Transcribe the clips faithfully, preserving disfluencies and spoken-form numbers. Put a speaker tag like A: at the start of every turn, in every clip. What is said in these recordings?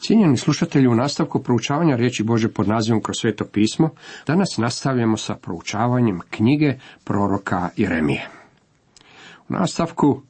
A: Cijenjeni slušatelji, u nastavku proučavanja riječi Božje pod nazivom Kroz sveto pismo, danas nastavljamo sa proučavanjem knjige proroka Jeremije. U nastavku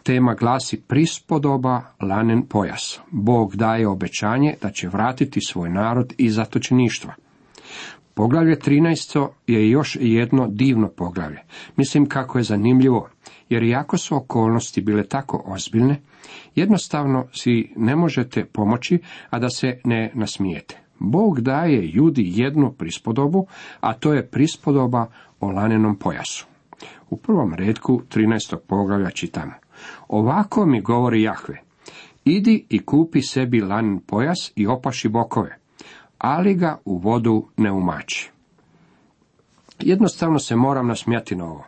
A: tema glasi prispodoba lanen pojas. Bog daje obećanje da će vratiti svoj narod iz zatočeništva. Poglavlje trinaesto je još jedno divno poglavlje. Mislim kako je zanimljivo, jer iako su okolnosti bile tako ozbiljne, jednostavno si ne možete pomoći, a da se ne nasmijete. Bog daje Judi jednu prispodobu, a to je prispodoba o lanenom pojasu. U prvom retku trinaestog poglavlja čitamo: Ovako mi govori Jahve, idi i kupi sebi lanen pojas i opaši bokove, ali ga u vodu ne umači. Jednostavno se moram nasmijati na ovo.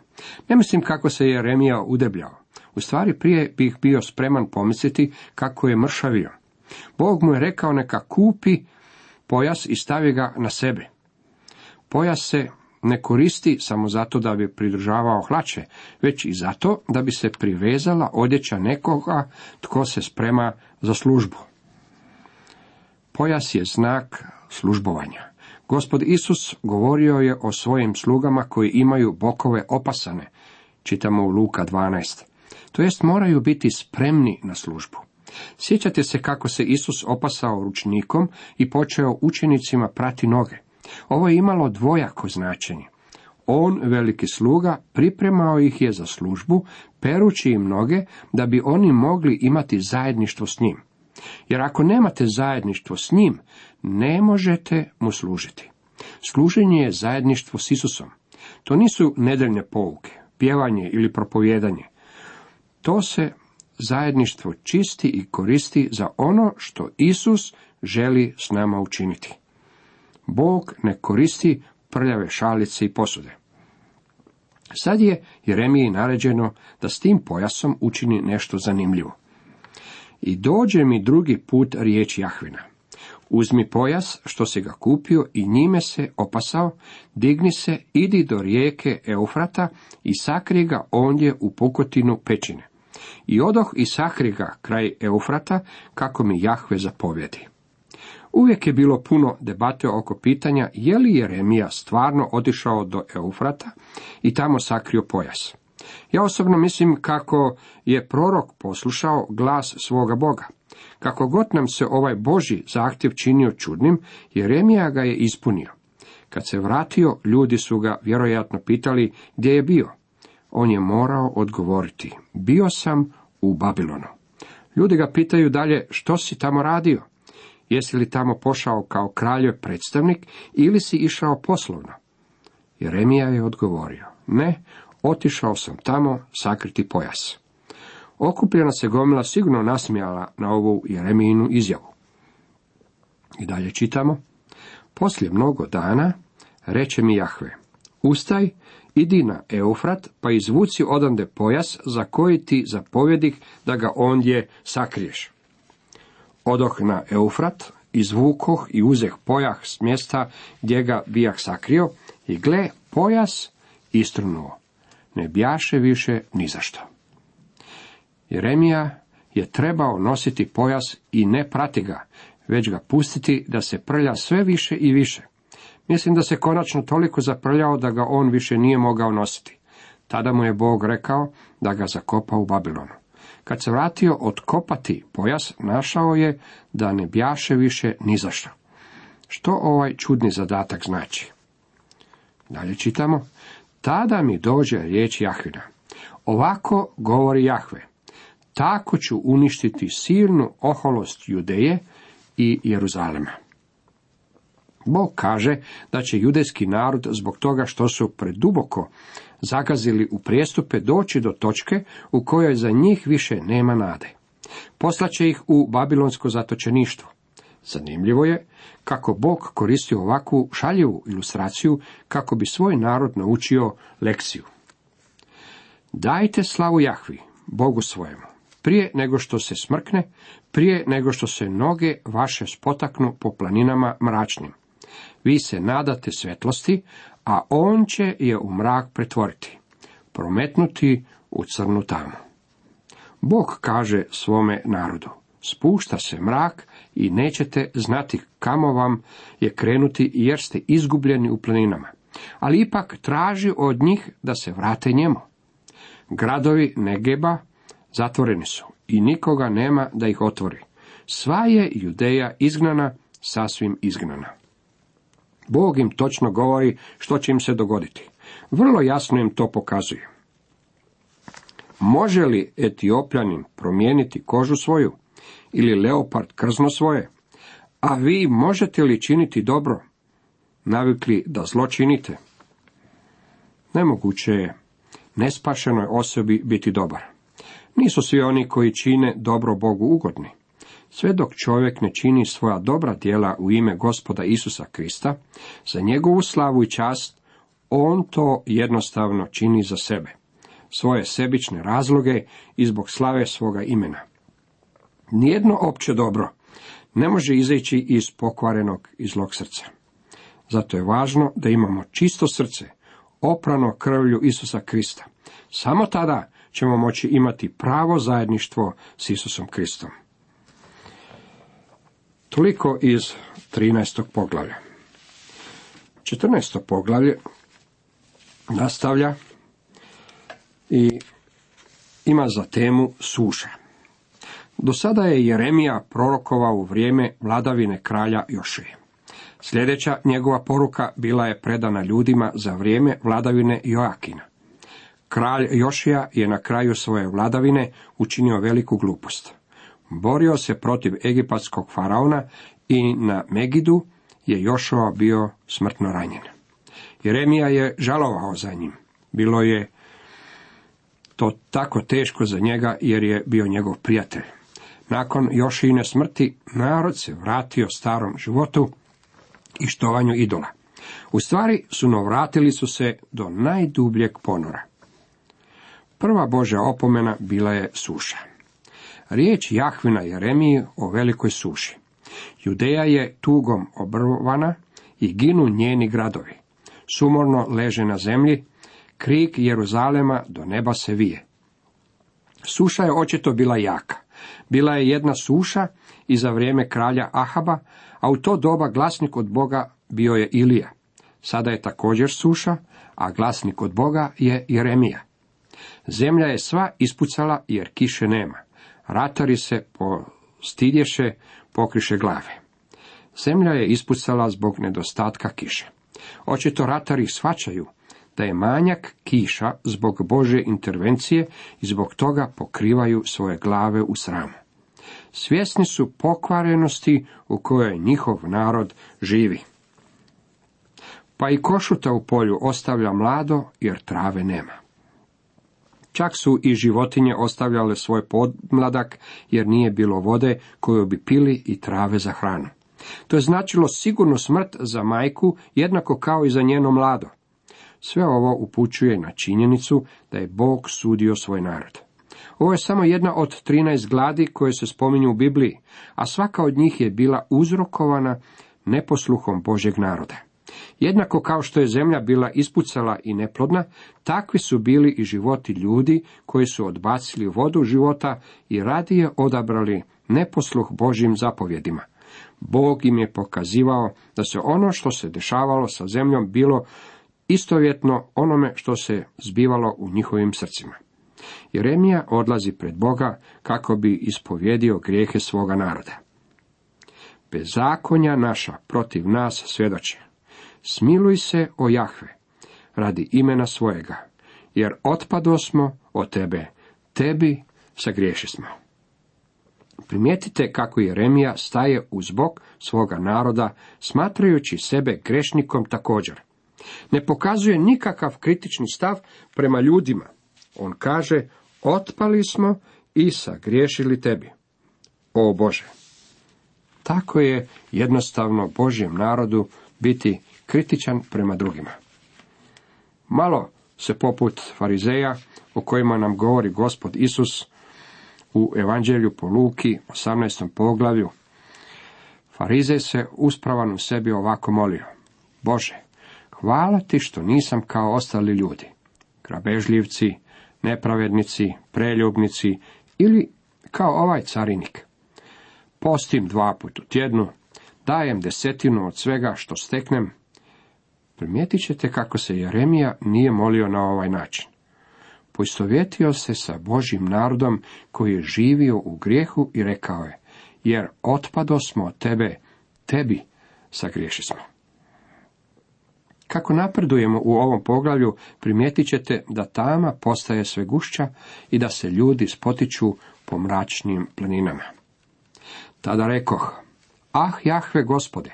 A: Ne mislim kako se Jeremija udebljao. U stvari prije bih bio spreman pomisliti kako je mršavio. Bog mu je rekao neka kupi pojas i stavi ga na sebe. Pojas se ne koristi samo zato da bi pridržavao hlače, već i zato da bi se privezala odjeća nekoga tko se sprema za službu. Pojas je znak službovanja. Gospod Isus govorio je o svojim slugama koji imaju bokove opasane, čitamo u Luka dvanaest. To jest moraju biti spremni na službu. Sjećate se kako se Isus opasao ručnikom i počeo učenicima prati noge. Ovo je imalo dvojako značenje. On, veliki sluga, pripremao ih je za službu, perući im noge da bi oni mogli imati zajedništvo s njim. Jer ako nemate zajedništvo s njim, ne možete mu služiti. Služenje je zajedništvo s Isusom. To nisu nedeljne pouke, pjevanje ili propovijedanje. To se zajedništvo čisti i koristi za ono što Isus želi s nama učiniti. Bog ne koristi prljave šalice i posude. Sad je Jeremiji naređeno da s tim pojasom učini nešto zanimljivo. I dođe mi drugi put riječ Jahvina. Uzmi pojas što si ga kupio i njime se opasao, digni se, idi do rijeke Eufrata i sakri ga ondje u pukotinu pećine. I odoh i sakri ga kraj Eufrata, kako mi Jahve zapovjedi. Uvijek je bilo puno debate oko pitanja je li Jeremija stvarno otišao do Eufrata i tamo sakrio pojas. Ja osobno mislim kako je prorok poslušao glas svoga Boga. Kako god nam se ovaj Božji zahtjev činio čudnim, Jeremija ga je ispunio. Kad se vratio, ljudi su ga vjerojatno pitali gdje je bio. On je morao odgovoriti: bio sam u Babilonu. Ljudi ga pitaju dalje: što si tamo radio? Jesi li tamo pošao kao kraljev predstavnik ili si išao poslovno? Jeremija je odgovorio: ne, otišao sam tamo sakriti pojas. Okupljena se gomila sigurno nasmijala na ovu Jeremijinu izjavu. I dalje čitamo: poslije mnogo dana reče mi Jahve, ustaj, idi na Eufrat, pa izvuci odande pojas za koji ti zapovjedih da ga ondje sakriješ. Odoh na Eufrat, izvukoh i uzeh pojas s mjesta gdje ga bijah sakrio, i gle, pojas istrunuo. Ne bjaše više ni zašto. Jeremija je trebao nositi pojas i ne prati ga, već ga pustiti da se prlja sve više i više. Mislim da se konačno toliko zaprljao da ga on više nije mogao nositi. Tada mu je Bog rekao da ga zakopa u Babilonu. Kad se vratio otkopati pojas, našao je da ne bjaše više ni zašto. Što ovaj čudni zadatak znači? Dalje čitamo: tada mi dođe riječ Jahvina. Ovako govori Jahve, tako ću uništiti silnu oholost Judeje i Jeruzalema. Bog kaže da će judejski narod zbog toga što su preduboko zagazili u prijestupe doći do točke u kojoj za njih više nema nade. Poslaće ih u babilonsko zatočeništvo. Zanimljivo je kako Bog koristi ovakvu šaljivu ilustraciju kako bi svoj narod naučio lekciju. Dajte slavu Jahvi, Bogu svojemu, prije nego što se smrkne, prije nego što se noge vaše spotaknu po planinama mračnim. Vi se nadate svetlosti, a on će je u mrak pretvoriti, prometnuti u crnu tamu. Bog kaže svome narodu: spušta se mrak i nećete znati kamo vam je krenuti, jer ste izgubljeni u planinama. Ali ipak traži od njih da se vrate njemu. Gradovi Negeba zatvoreni su i nikoga nema da ih otvori. Sva je Judeja izgnana, sasvim izgnana. Bog im točno govori što će im se dogoditi. Vrlo jasno im to pokazuje. Može li Etiopljanin promijeniti kožu svoju ili leopard krzno svoje? A vi možete li činiti dobro, navikli da zlo činite? Nemoguće je nespašenoj osobi biti dobar. Nisu svi oni koji čine dobro Bogu ugodni. Sve dok čovjek ne čini svoja dobra djela u ime Gospoda Isusa Krista, za njegovu slavu i čast, on to jednostavno čini za sebe, svoje sebične razloge i zbog slave svoga imena. Nijedno opće dobro ne može izaći iz pokvarenog i zlog srca. Zato je važno da imamo čisto srce, oprano krvlju Isusa Krista. Samo tada ćemo moći imati pravo zajedništvo s Isusom Kristom. Toliko iz trinaestog poglavlja. četrnaesto poglavlje nastavlja i ima za temu suša. Do sada je Jeremija prorokovao u vrijeme vladavine kralja Jošije. Sljedeća njegova poruka bila je predana ljudima za vrijeme vladavine Joakina. Kralj Jošija je na kraju svoje vladavine učinio veliku glupost. Borio se protiv egipatskog faraona i na Megidu je Jošua bio smrtno ranjen. Jeremija je žalovao za njim. Bilo je to tako teško za njega jer je bio njegov prijatelj. Nakon Jošijine smrti narod se vratio starom životu i štovanju idola. U stvari sunovratili su se do najdubljeg ponora. Prva Božja opomena bila je suša. Riječ Jahvina Jeremiji o velikoj suši. Judeja je tugom obrvana i ginu njeni gradovi. Sumorno leže na zemlji, krik Jeruzalema do neba se vije. Suša je očito bila jaka. Bila je jedna suša i za vrijeme kralja Ahaba, a u to doba glasnik od Boga bio je Ilija. Sada je također suša, a glasnik od Boga je Jeremija. Zemlja je sva ispucala jer kiše nema. Ratari se postidješe, pokriše glave. Zemlja je ispucala zbog nedostatka kiše. Očito ratari shvaćaju da je manjak kiša zbog Božje intervencije i zbog toga pokrivaju svoje glave u sramu. Svjesni su pokvarenosti u kojoj njihov narod živi. Pa i košuta u polju ostavlja mlado jer trave nema. Čak su i životinje ostavljale svoj podmladak jer nije bilo vode koju bi pili i trave za hranu. To je značilo sigurnu smrt za majku jednako kao i za njeno mlado. Sve ovo upućuje na činjenicu da je Bog sudio svoj narod. Ovo je samo jedna od trinaest gladi koje se spominju u Bibliji, a svaka od njih je bila uzrokovana neposluhom Božjeg naroda. Jednako kao što je zemlja bila ispucala i neplodna, takvi su bili i životi ljudi koji su odbacili vodu života i radije odabrali neposluh Božjim zapovjedima. Bog im je pokazivao da se ono što se dešavalo sa zemljom bilo istovjetno onome što se zbivalo u njihovim srcima. Jeremija odlazi pred Boga kako bi ispovjedio grijehe svoga naroda. Bezakonja naša protiv nas svjedoče. Smiluj se, o Jahve, radi imena svojega, jer otpadosmo od tebe, tebi sagrešismo. Primijetite kako Jeremija staje uz bok svoga naroda, smatrajući sebe grešnikom također. Ne pokazuje nikakav kritični stav prema ljudima. On kaže, otpali smo i sagriješili tebi. O Bože! Tako je jednostavno Božjem narodu biti kritičan prema drugima. Malo se poput farizeja o kojima nam govori Gospod Isus u Evanđelju po Luki, osamnaestom poglavlju. Farizej se uspravan u sebi ovako molio. Bože, hvala ti što nisam kao ostali ljudi, grabežljivci, nepravednici, preljubnici ili kao ovaj carinik. postim dva put u tjednu, dajem desetinu od svega što steknem. Primijetit ćete kako se Jeremija nije molio na ovaj način. Poistovjetio se sa Božjim narodom koji je živio u grijehu i rekao je, jer otpado smo od tebe, tebi sagriješi smo. Kako napredujemo u ovom poglavlju, primijetit ćete da tama postaje sve gušća i da se ljudi spotiču po mračnim planinama. Tada rekoh, ah Jahve Gospode,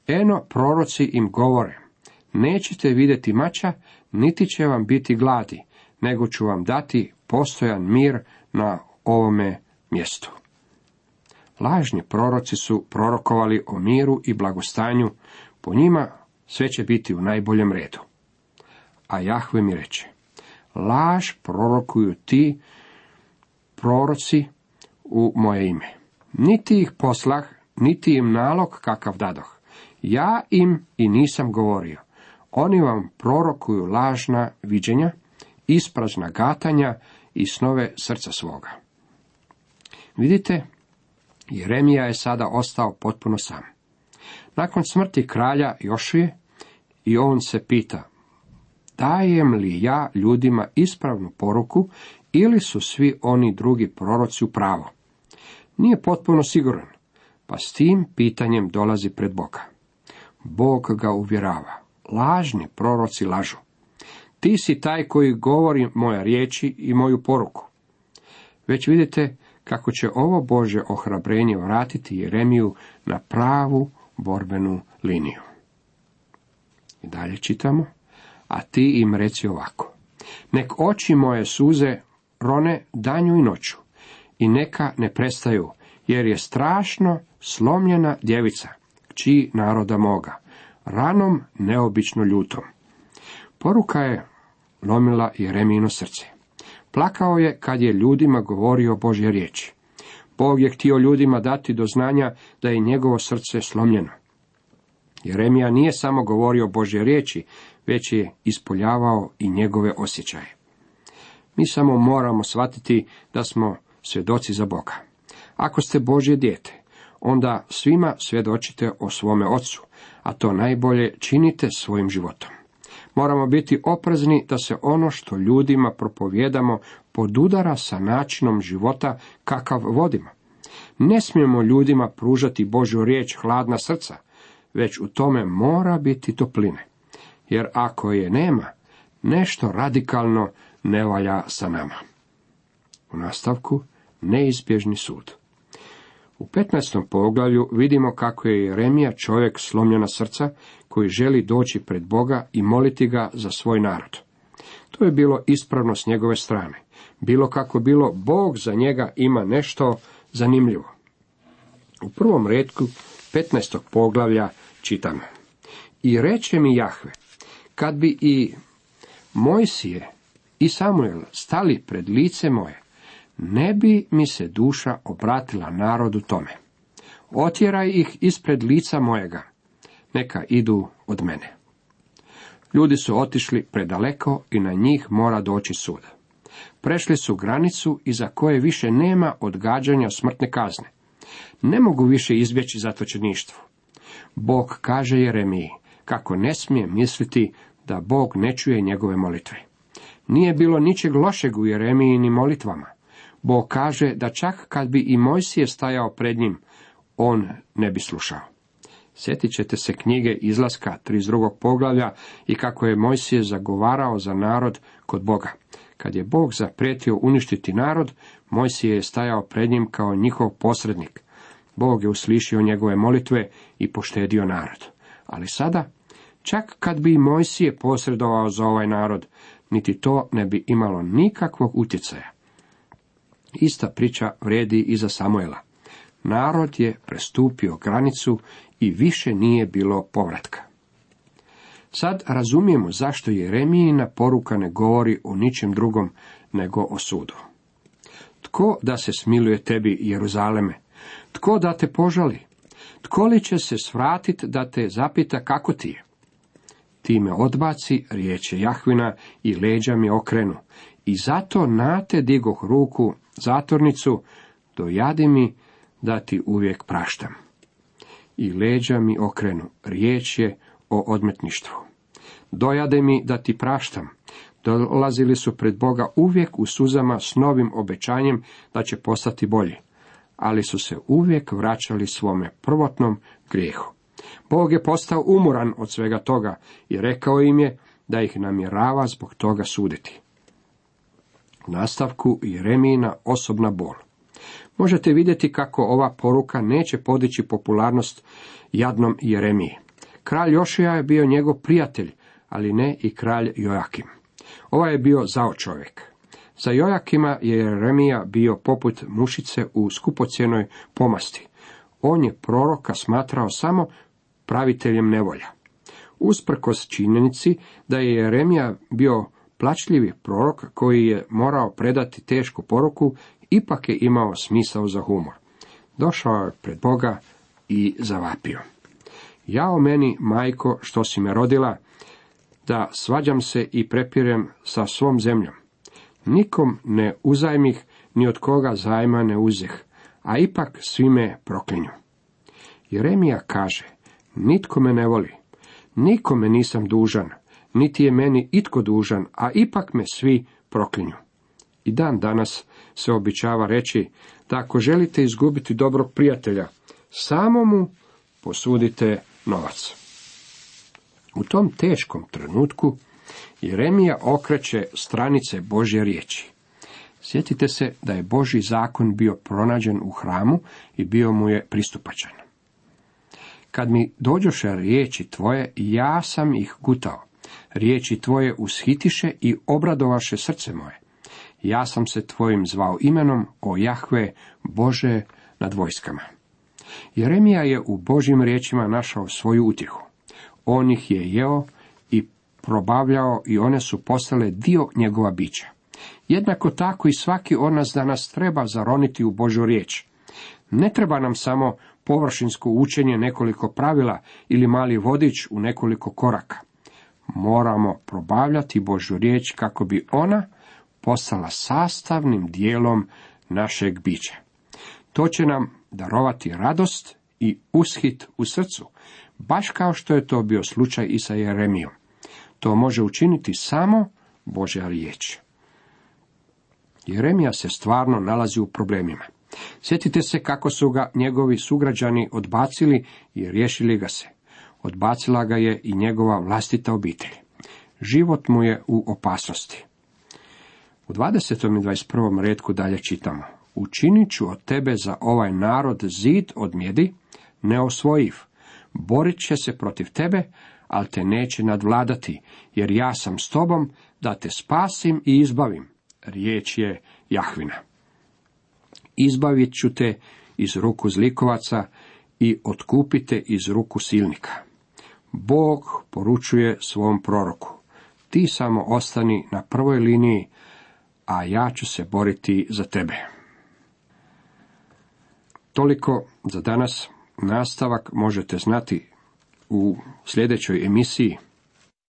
A: eno proroci im govore, nećete vidjeti mača, niti će vam biti gladi, nego ću vam dati postojan mir na ovome mjestu. Lažni proroci su prorokovali o miru i blagostanju, po njima sve će biti u najboljem redu. A Jahve mi reče, laž prorokuju ti proroci u moje ime. Niti ih poslah, niti im nalog kakav dadoh. Ja im i nisam govorio. Oni vam prorokuju lažna viđenja, isprazna gatanja i snove srca svoga. Vidite, Jeremija je sada ostao potpuno sam. Nakon smrti kralja Jošije, i on se pita, dajem li ja ljudima ispravnu poruku ili su svi oni drugi proroci u pravu? Nije potpuno siguran, pa s tim pitanjem dolazi pred Boga. Bog ga uvjerava, lažni proroci lažu. Ti si taj koji govori moje riječi i moju poruku. Već vidite kako će ovo Božje ohrabrenje vratiti Jeremiju na pravu borbenu liniju. I dalje čitamo, a ti im reci ovako, nek oči moje suze rone danju i noću, i neka ne prestaju, jer je strašno slomljena djevica, kći naroda moga, ranom neobično ljutom. Poruka je lomila Jeremijino srce. Plakao je kad je ljudima govorio Božje riječi. Bog je htio ljudima dati do znanja da je njegovo srce slomljeno. Jeremija nije samo govorio Božje riječi, već je ispoljavao i njegove osjećaje. Mi samo moramo shvatiti da smo svjedoci za Boga. Ako ste Božje dijete, onda svima svjedočite o svome Ocu, a to najbolje činite svojim životom. Moramo biti oprezni da se ono što ljudima propovijedamo podudara sa načinom života kakav vodimo. Ne smijemo ljudima pružati Božju riječ hladna srca, već u tome mora biti topline. Jer ako je nema, nešto radikalno ne valja sa nama. U nastavku, neizbježni sud. U petnaestom poglavlju vidimo kako je Jeremija čovjek slomljena srca koji želi doći pred Boga i moliti ga za svoj narod. To je bilo ispravno s njegove strane. Bilo kako bilo, Bog za njega ima nešto zanimljivo. U prvom retku petnaestog poglavlja čitamo. I reče mi Jahve, kad bi i Mojsije i Samuel stali pred lice moje, ne bi mi se duša obratila narodu tome. Otjeraj ih ispred lica mojega, neka idu od mene. Ljudi su otišli predaleko i na njih mora doći sud. Prešli su granicu iza koje više nema odgađanja smrtne kazne. Ne mogu više izbjeći zatočeništvo. Bog kaže Jeremiji kako ne smije misliti da Bog ne čuje njegove molitve. Nije bilo ničeg lošeg u Jeremijinim molitvama. Bog kaže da čak kad bi i Mojsije stajao pred njim, on ne bi slušao. Sjetit ćete se knjige Izlaska trideset drugog poglavlja i kako je Mojsije zagovarao za narod kod Boga. Kad je Bog zaprijetio uništiti narod, Mojsije je stajao pred njim kao njihov posrednik. Bog je uslišio njegove molitve i poštedio narod. Ali sada, čak kad bi i Mojsije posredovao za ovaj narod, niti to ne bi imalo nikakvog utjecaja. Ista priča vrijedi i za Samuela. Narod je prestupio granicu i više nije bilo povratka. Sad razumijemo zašto Jeremijina poruka ne govori o ničem drugom nego o sudu. Tko da se smiluje tebi, Jeruzaleme? Tko da te požali? Tko li će se svratiti da te zapita kako ti je? Ti me odbaci, riječe Jahvina, i leđa mi okrenu. I zato na te digoh ruku, zatornicu, dojadi mi da ti uvijek praštam. I leđa mi okrenu, riječ je o odmetništvu. Dojade mi da ti praštam. Dolazili su pred Boga uvijek u suzama s novim obećanjem da će postati bolji, ali su se uvijek vraćali svome prvotnom grijehu. Bog je postao umoran od svega toga i rekao im je da ih namjerava zbog toga suditi. U nastavku Jeremijina osobna bol. Možete vidjeti kako ova poruka neće podići popularnost jadnom Jeremiji. Kralj Jošija je bio njegov prijatelj, ali ne i kralj Jojakim. Ovaj je bio zao čovjek. Za Jojakima je Jeremija bio poput mušice u skupocjenoj pomasti. On je proroka smatrao samo praviteljem nevolja. Usprkos činjenici da je Jeremija bio plačljivi prorok koji je morao predati tešku poruku, ipak je imao smisao za humor. Došao je pred Boga i zavapio. Jao meni, majko, što si me rodila, da svađam se i prepirem sa svom zemljom. Nikom ne uzajmih, ni od koga zajma ne uzeh, a ipak svi me proklinju. Jeremija kaže, nitko me ne voli, nikome nisam dužan, niti je meni itko dužan, a ipak me svi proklinju. I dan danas se običava reći da ako želite izgubiti dobrog prijatelja, samo mu posudite novac. U tom teškom trenutku Jeremija okreće stranice Božje riječi. Sjetite se da je Božji zakon bio pronađen u hramu i bio mu je pristupačan. Kad mi dođoše riječi tvoje, ja sam ih gutao. Riječi tvoje ushitiše i obradovaše srce moje. Ja sam se tvojim zvao imenom, o Jahve, Bože nad vojskama. Jeremija je u Božjim riječima našao svoju utjehu. On ih je jeo i probavljao i one su postale dio njegova bića. Jednako tako i svaki od nas danas treba zaroniti u Božju riječ. Ne treba nam samo površinsko učenje nekoliko pravila ili mali vodič u nekoliko koraka. Moramo probavljati Božju riječ kako bi ona postala sastavnim dijelom našeg bića. To će nam darovati radost i ushit u srcu, baš kao što je to bio slučaj i sa Jeremijom. To može učiniti samo Božja riječ. Jeremija se stvarno nalazi u problemima. Sjetite se kako su ga njegovi sugrađani odbacili i riješili ga se. Odbacila ga je i njegova vlastita obitelj. Život mu je u opasnosti. U dvadesetom i dvadeset prvom retku dalje čitamo. Učinit ću od tebe za ovaj narod zid od mjedi, neosvojiv. Borit će se protiv tebe, ali te neće nadvladati, jer ja sam s tobom da te spasim i izbavim. Riječ je Jahvina. Izbavit ću te iz ruku zlikovaca i otkupite iz ruku silnika. Bog poručuje svom proroku. Ti samo ostani na prvoj liniji, a ja ću se boriti za tebe. Toliko za danas. Nastavak možete znati u sljedećoj emisiji.